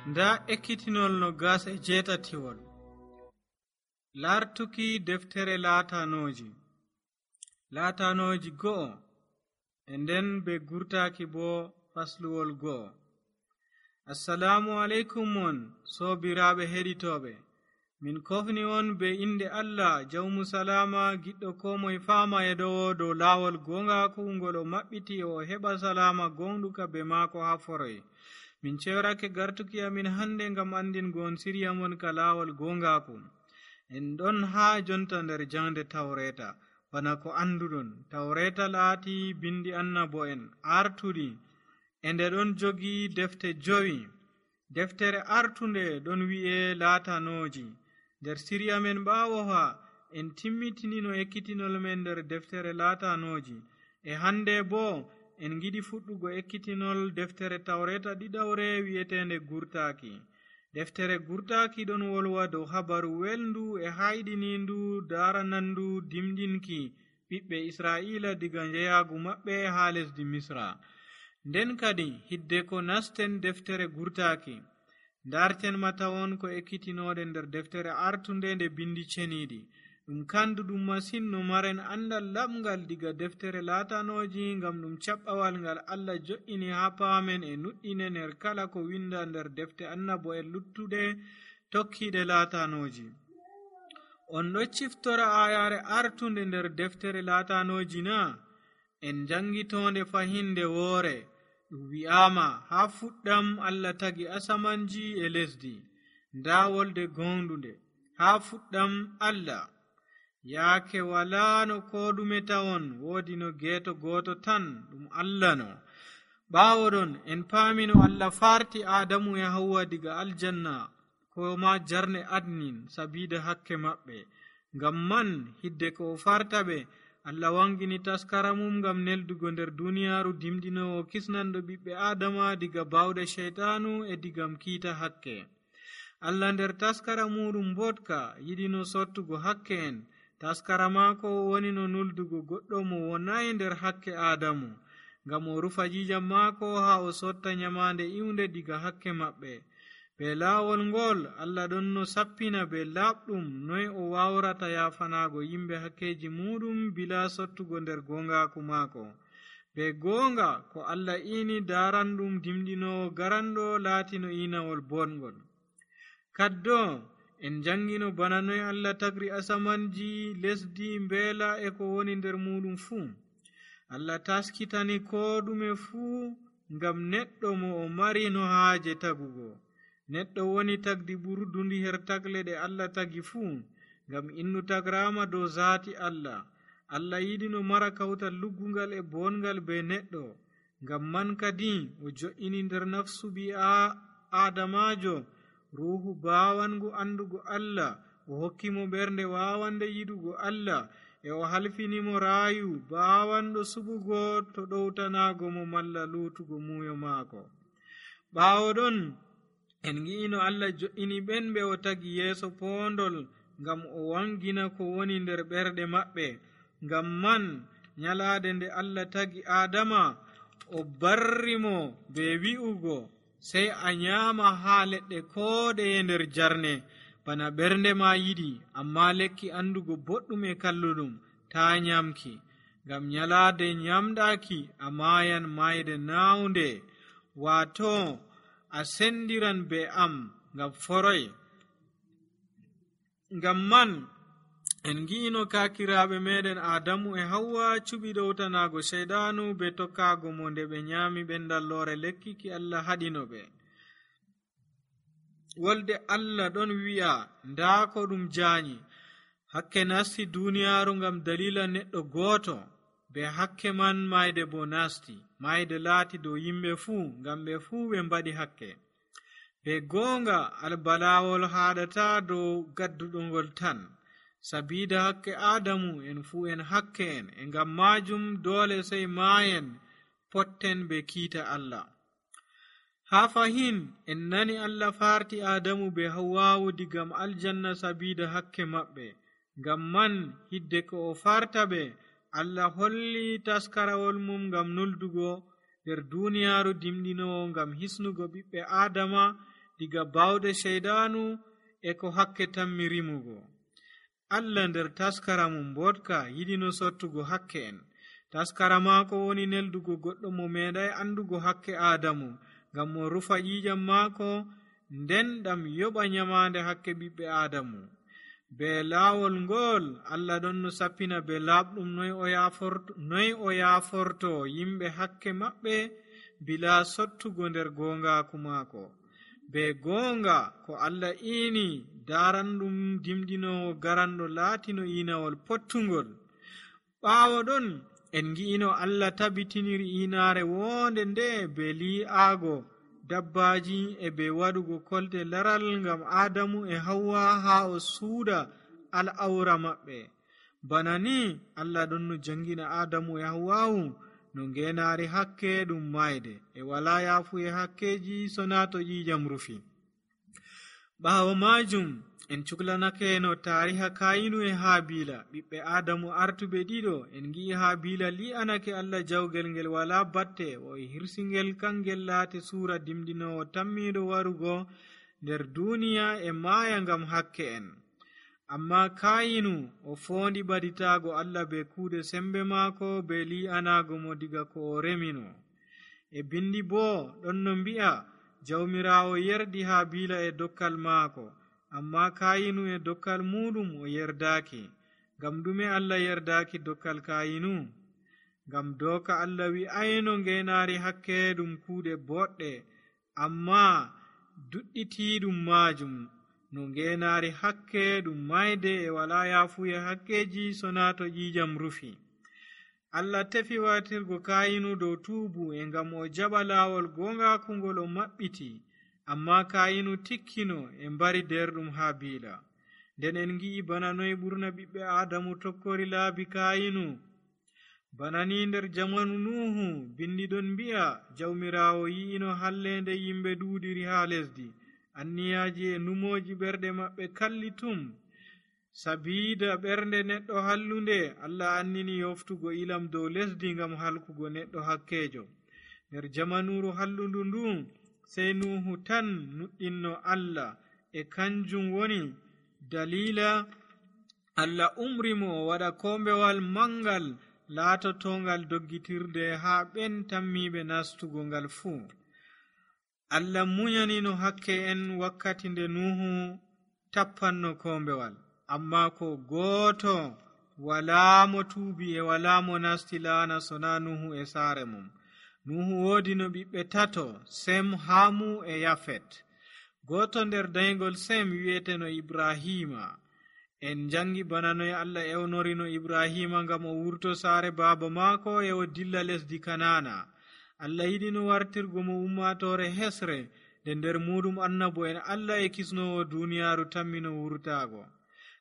Nda ekkitinol no gas e jeetatiwol. Lartuki deftere laatanooji go'o e nden be gurtaaki bo fasluwol go'o. Assalamu aleykum mon soobiraaɓe heɗitooɓe, min kofni on be inde Allah jawmu salama, giɗɗo ko moye faama e ɗowo dow laawol gongaaku ngol o maɓɓiti o heɓa salama gonɗuka be maako haa foroy. Min cewrake gartuki amin hande ngam andingo on sirya mon ka laawol gongaaku. En ɗon haa jonta nder jangde tawreta. Bana ko anduɗon, tawreta laati bindi annabo'en artuɗi e nde ɗon jogi defte 5. Deftere artunde ɗon wi'e laatanooji. Nder sirya men ɓaawo ha en timmitinino ekkitinol men nder deftere laatanooji, e hande bo en giɗi fuɗɗugo ekkitinol deftere tawreta ɗiɗawre wi'etende gurtaaki. Deftere gurtaaki ɗon wolwa dow habaru welndu e hayɗinindu daranandu dimɗinki ɓiɓɓe Israa'ila diga njeyaagu maɓɓe haa lesdi Misra. Nden kadi hidde ko nasten deftere gurtaaki, ndarten matawon ko ekkitinoɗe nder deftere artunde nde bindi ceniiɗi. Ɗum kanduɗum masin no maren andal laɓngal diga deftere laatanooji, ngam ɗum caɓɓawal ngal Allah jo'ini haa paamen e nuɗɗine nder kala ko winda nder defte annabo'en luttuɗe tokkiiɗe laatanooji. On ɗo ciftora ayare artunde nder deftere laatanooji na? En jangitonde fahinde woore. Ɗum wi'ama haa fuɗɗam Allah tagi asamanji e lesdi, nda wolde gonɗunde haa fuɗɗam Allah. Yaake walano ko ɗume tawon, woodi no geeto gooto tan ɗum Allah no. Ɓaawo ɗon en paamino Allah farti Adamu e Hawwa diga aljanna ko ma jarne adnin sabida hakke maɓɓe. Ngam man hidde ko o farta ɓe, Allah wangini taskara mum ngam neldugo nder duniyaaru dimɗinowo kisnanɗo ɓiɓɓe Adama diga bawɗe sheytanu e digam kiita hakke. Allah nder taskara muɗum mbotka yiɗino sottugo hakke en. Taskara maako woni no nuldugo goɗɗo mo wonayi nder hakke Adamu, ngam o rufa jijam maako haa o sotta nyamande iwnde diga hakke maɓɓe. Be laawol ngol Allah ɗon no sappina be laaɓɗum noy o wawrata yafanaago yimɓe hakkeji muɗum bila sottugo nder gongaaku maako. Be goonga ko Allah ini daranɗum dimɗinowo garanɗo laatino inawol bongol. Kaddo en jangino bana noy Allah tagri asamanji, lesdi, mbeela e ko woni nder muɗum fuu. Allah taskitani ko ɗume fuu ngam neɗɗo mo o mari no haaje tagugo. Neɗɗo woni tagdi ɓurdundi her tagle ɗe Allah tagi fuu, ngam innu tagrama dow zaati Allah. Allah yiɗi no mara kawtal luggungal e bongal be neɗɗo. Ngam man kadi o jo'ini nder nafsu ɓi Adamajo ruhu bawangu andugo Allah, o hokkimo ɓernde wawande yiɗugo Allah, e o halfinimo raayu bawanɗo suɓugo to ɗowtanago mo malla lutugo muyo maako. Ɓaawo ɗon en gi'ino Allah jo'ini ɓen ɓe o tagi yeeso poondol ngam o wangina ko woni nder ɓerɗe maɓɓe. Ngam man nyalaade nde Allah tagi Adama, o barrimo be wi'ugo sey a nyaama haa leɗɗe ko ɗeye nder jarne bana ɓernde ma yiɗi, amma lekki andugo boɗɗum e kalluɗum ta nyamki, ngam nyalaade nyamɗaki a maayan mayde nawnde, wato a sendiran be am ngam foroy. Ngam man en gi'ino kakiraaɓe meɗen Adamu e Hawwa cuɓi ɗowtanago sheyɗanu be tokkago mo nde ɓe nyami ɓendallore lekki ki Allah haɗino ɓe. Wolde Allah ɗon wi'a nda ko ɗum jaanyi, hakke nasti duniyaaru ngam dalila neɗɗo gooto, be hakke man mayde bo nasti. Mayde laati dow yimɓe fuu, ngam ɓe fuu ɓe mbaɗi hakke. Be goonga albalawol haɗata dow gadduɗo ngol tan, sabida hakke Adamu en fuu en hakke en, e ngam majum doole sey maayen potten be kiita Allah. Haa fahin en nani Allah farti Adamu be Hawwawu digam aljanna sabida hakke maɓɓe. Ngam man hidde ko o farta ɓe, Allah holli taskarawol mum ngam nuldugo nder duniyaaru dimɗinowo, ngam hisnugo ɓiɓɓe Adama diga bawɗe sheydanu e ko hakke tammi rimugo. Allah nder taskara mum mbotka yiɗino sottugo hakke en. Taskara maako woni neldugo goɗɗo mo meeɗay andugo hakke Aadamu, ngam mo rufa ƴiiƴam maako, nden ɗam yoɓa nyamaande hakke ɓiɓɓe Aadamu. Be laawol ngol Allah ɗon no sappina be laaɓɗum noy o yaaforto yimɓe hakke maɓɓe bila sottugo nder goongaaku maako. Be goonga ko Allah iini daaranɗum dimɗinowo garanɗo laatino iinawol pottungol. Ɓaawo ɗon en ngi'ino Allah tabitiniri iinaare wonde nde be li'aago dabbaaji e be waɗugo kolte laral ngam Aadamu e Hawwa haa o suuda al'awra maɓɓe. Bana ni Allah ɗon no jangina Aadamu e Hawwawu no ngeenaari hakke ɗum mayde e walaa yaafuye hakkeji so naa to ƴiiƴam rufi. Ɓaawo maajum en cuklanake no taariha Kayinu e Haabila, ɓiɓɓe Aadamu artuɓe ɗiɗo. En ngi'i Haabila li'anake Allah jawgel ngel walaa batte, o hirsingel kangel laati suura dimɗinowo tammiiɗo warugo nder duuniya e maaya ngam hakke en. Amma Kayinu o foondi ɓaditaago Allah be kuuɗe sembe maako be li'anaago mo diga ko o remino. E bindi boo ɗon no mbi'a jawmiraawo yerdi Haabila e dokkal maako, amma Kayinu e dokkal muɗum o yerdaaki. Ngam ɗume Allah yerdaaki dokkal Kayinu? Ngam dooka Allah wi'ayno ngeenaari hakke ɗum kuuɗe boɗɗe, amma duɗɗitiiɗum maajum no ngeenaari hakke ɗum mayde e walaa yaafuye hakkeji so naa to ƴiiƴam rufi. Allah tefi wartirgo Kayinu dow tuubu e ngam o jaɓa laawol goongaaku ngol o maɓɓiti, amma Kayinu tikkino e mbari derɗum Haabila. Nden en ngi'i bana noy ɓurna ɓiɓɓe Aadamu tokkori laabi Kayinu. Bana ni nder jamanu Nuhu bindi ɗon mbi'a jawmiraawo yi'ino hallende yimɓe duuɗiri haa lesdi, anniyaaji e numooji ɓerɗe maɓɓe kalli tum. Sabiida ɓernde neɗɗo hallunde Allah annini yoftugo ilam dow lesdi ngam halkugo neɗɗo hakkeejo. Nder jamanuru hallundu ndu sey Nuhu tan nuɗɗinno Allah, e kanjum woni dalila Allah umrimo o waɗa kombewal mangal laatotongal doggitirde haa ɓen tammiɓe nastugo ngal fuu. Allah muñanino hakke en wakkati nde Nuhu tappanno kombewal, amma ko gooto walaa mo tuubi e walaa mo nasti laana sona Nuhu e saare mum. Nuhu woodi no ɓiɓɓe tato, Sem, Hamu e Yafet. Gooto nder dayngol Sem wi'eteno Ibrahima. En jangi bana noy Allah ewnorino Ibrahima ngam o wurto saare baaba maako e o dilla lesdi Kanana. Allah yiɗino wartirgo mo ummatore hesre, nde nder muɗum annabo en Allah e kisnowo duniyaaru tammino wurtaago.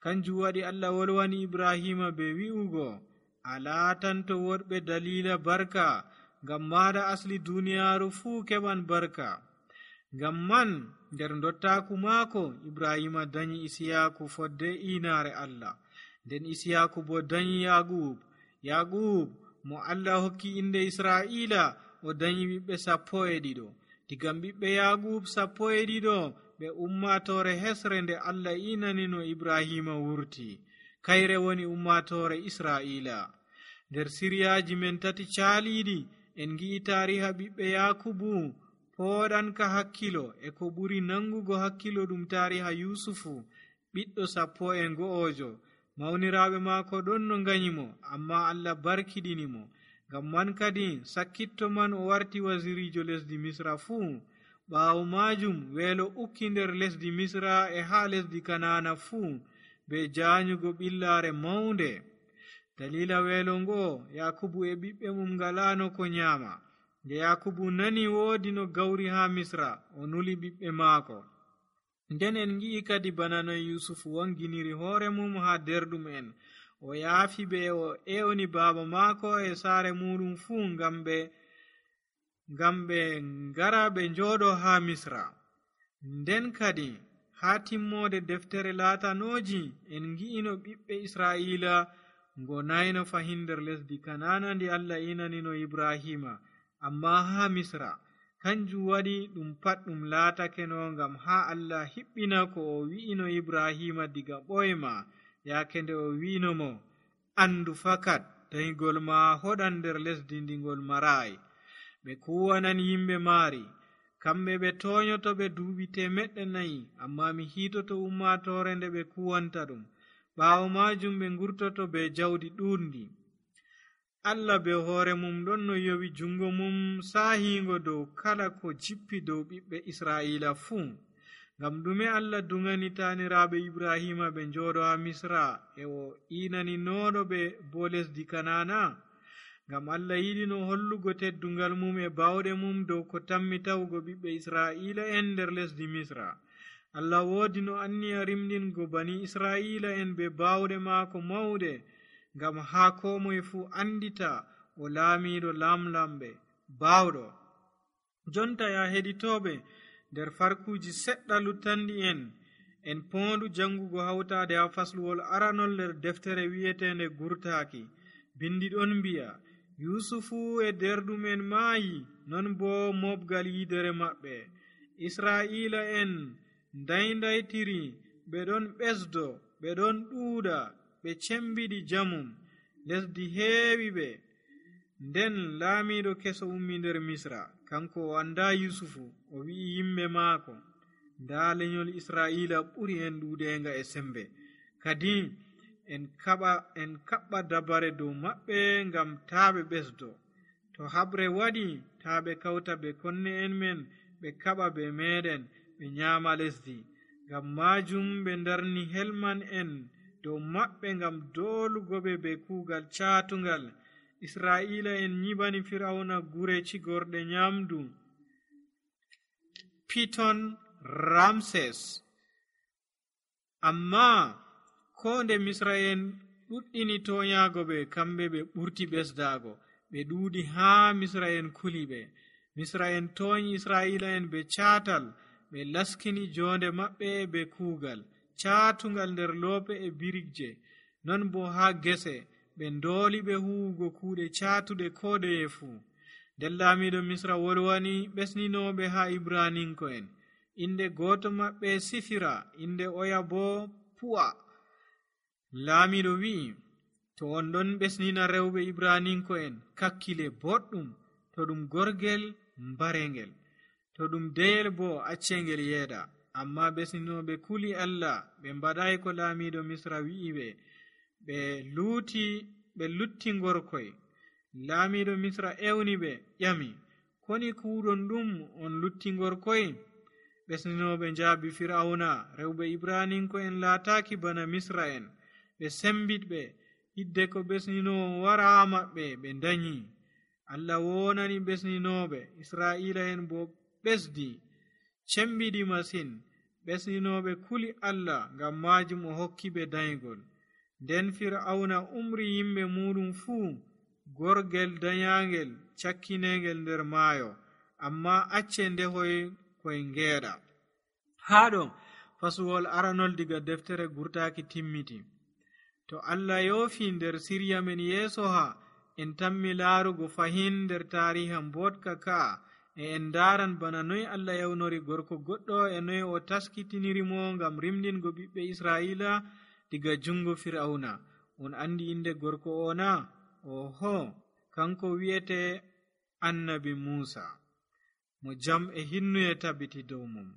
Kanjum waɗi Allah wolwani Ibrahima be wi'ugo, a laatanto woɗɓe dalila barka, ngam maɗa asli duniyaaru fuu keɓan barka. Ngam man nder dottaaku maako Ibrahima dañi Isiyaku fodde inaare Allah, nden Isiyaku bo dañi Yaqub mo Allah hokki inde Israa'ila o dañi ɓiɓɓe 12. Digam ɓiɓɓe Yaqub 12 ɓe ummatore hesre nde Allah inanino Ibrahima wurti, kayre woni ummatore Israa'ila. Nder siryaji men 3 caaliɗi en ngi'i taariha ɓiɓɓe Yakubu pooɗanka hakkilo e ko ɓuri nangugo hakkilo ɗum taariha Yusufu, ɓiɗɗo 11. Mawniraaɓe maako ɗon no nganyimo, amma Allah barkiɗinimo. Ngam man kadi sakkitto man o warti wasirijo lesdi Misra fuu. Ɓaawo maajum weelo ukki nder lesdi Misra e haa lesdi Kanana fuu, be jaanyugo ɓillaare mawnde. Dalila weelo ngo Yakubu e ɓiɓɓe mum ngalaano ko nyaama. Nde Yakubu nani woodi no gawri haa Misra, o nuli ɓiɓɓe maako. Nden en ngi'i kadi bana noy Yusufu wanginiri hoore mum haa derɗum en. O yaafi ɓe o ewni baaba maako e saare muɗum fuu ngam ɓe ngara ɓe njooɗo haa Misra. Nden kadi haa timmode deftere laatanooji en ngi'ino ɓiɓɓe Israa'ila ngonayno fahin nder lesdi Kanana ndi Allah inanino Ibrahima, amma haa Misra. kanjum waɗi ɗum pat ɗum laatakeno ngam haa Allah hiɓɓina ko o wi'ino Ibrahima diga ɓoyma yaake nde o wi'ino mo andu fakat dayigol ma hoɗan nder lesdi ndigol marayi. ɓe kuwanan yimɓe maari, kamɓe ɓe toyoto ɓe duuɓi 400, amma mi hiitoto ummatore nde ɓe kuwanta ɗum. ɓaawo majum ɓe ngurtoto be jawdi ɗuuɗndi. Allah be hoore mum ɗon no yowi jungo mum saahiingo dow kala ko jippi dow ɓiɓɓe Israa'ila fuu. ngam ɗume Allah dungani taaniraaɓe Ibrahima ɓe njooɗo ha Misra e o iinaninooɗo ɓe bo lesdi Kanana? ngam Allah yiɗi no hollugo teddungal mum e bawɗe mum dow ko tammi tawugo ɓiɓɓe Israa'ila en nder lesdi Misra. Allah woodi no anniya rimɗingo bani Israa'ila en be bawɗe maako mawɗe, ngam haa ko moye fuu andita o laamiiɗo lamlamɓe bawɗo. jonta ya heɗitooɓe, nder farkuuji seɗɗa luttanɗi en poondu jangugo hawtaade ha fasluwol aranol nder deftere wi'eteende gurtaaki. bindi ɗon mbi'a Yusufu e derɗumen maayi, non bo mobgal yidere maɓɓe. Israa'ila en ndayndaytiri, ɓe ɗon ɓesdo, ɓe ɗon ɗuuɗa, ɓe cembiɗi jamum, lesdi heewi ɓe. nden laamiiɗo keso ummi nder Misra, kanko o anda Yusufu, o wi'i yimɓe maako, nda lenyol Israa'ila ɓuri en ɗuuɗenga e sembe, kadi en kaɓɓa dabare dow maɓɓe ngam taa ɓe ɓesdo. to haɓre waɗi, taa ɓe kawta be konne en men ɓe kaɓa be meɗen ɓe nyaama lesdi. ngam majum ɓe darni helman en dow maɓɓe ngam doolugo ɓe be kuugal caatungal. Israa'ila en nyibani Fir'auna gure cigorɗe nyamdu, Piton, Ramses. amma ko nde Misra en ɗuɗɗini toyaago ɓe, kamɓe ɓe ɓurti ɓesdaago, ɓe ɗuuɗi haa Misra en kuli ɓe. Misra en tooñi Israa'ila en be caatal, ɓe laskini jonde maɓɓe be kuugal caatungal nder loope e birigje. non bo haa gese ɓe ndooli ɓe huwugo kuuɗe caatuɗe ko ɗeye fuu. nden laamiiɗo Misra wolwani ɓesninooɓe haa Ibraninko'en. inde gooto maɓɓe Sifira, inde oya bo Pu'a. laamiiɗo wi'i, to on ɗon ɓesnina rewɓe Ibraninko'en, kakkile boɗɗum, to ɗum gorgel mbarengel, to ɗum deyel bo accengel yeeɗa. amma ɓesninooɓe kuli Allah, ɓe mbaɗayi ko laamiiɗo Misra wi'i ɓe, ɓe lutti ngorkoy. laamiiɗo Misra ewni ɓe, ƴami, koni kuuɗon ɗum on lutti ngorkoy? ɓesninooɓe njaabi Fir'auna, rewɓe Ibraninko'en laataaki bana Misra en. ɓe sembitɓe, hidde ko ɓesninoowo wara maɓɓe ɓe danyi. Allah wonani ɓesninooɓe Israa'ila en bo ɓesdi, cembiɗi masin. ɓesninooɓe kuli Allah, ngam majum o hokki ɓe dayigol. nden Fir'auna umri yimɓe muɗum fuu, gorgel dayangel cakkinengel nder maayo, amma acce ndehoy koye ngeeɗa. haɗo fasuwol aranol diga deftere gurtaaki timmiti. to Allah yoofi nder sirya men yeeso ha, en tammi laarugo fahin nder taariha mbotka ka'a, e en ndaran bana noy Allah yawnori gorko goɗɗo e noy o taskitinirimo ngam rimɗingo ɓiɓɓe Israa'ila diga jungo Fir'auna. on andi inde gorko o na? oho, kanko wi'ete annabi Musa, mo jam e hinnuye tabbiti dow mum.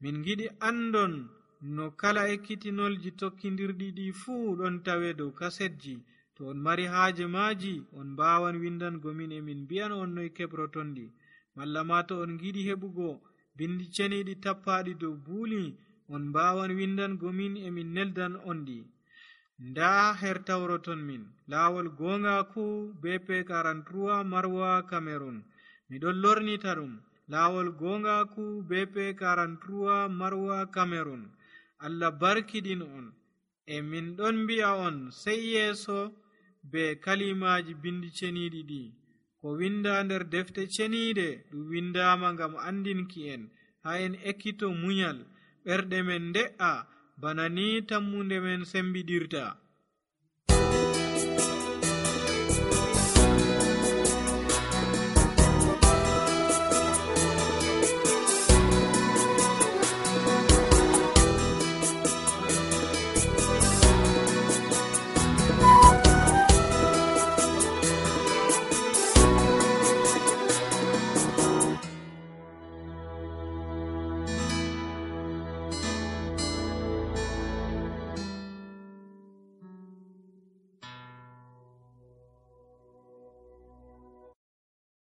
min giɗi andon no kala ekkitinolji tokkidirɗi ɗi fuu ɗon tawe dow kasetji. to on mari haaje maaji, on mbawan windango min e min mbiyan on noy keɓrotonɗi. malla ma to on giɗi heɓugo bindi ceniɗi tappaɗi dow buuli, on mbawan windango min e min neldan on ɗi. nda her tawroton min laawol gongaku BP 43 Marwa Cameroon. miɗon lornita ɗum laawol gongaku BP 43 Marwa Cameroon. Allah barkiɗin on, e min ɗon mbi'a on sey yeeso be kalimaji bindi ceniɗi ɗi. ko winda nder defte ceniɗe ɗum windama ngam andinki en, ha en ekkito munyal, ɓerɗe men nde'a bana ni tammunde men sembiɗirta.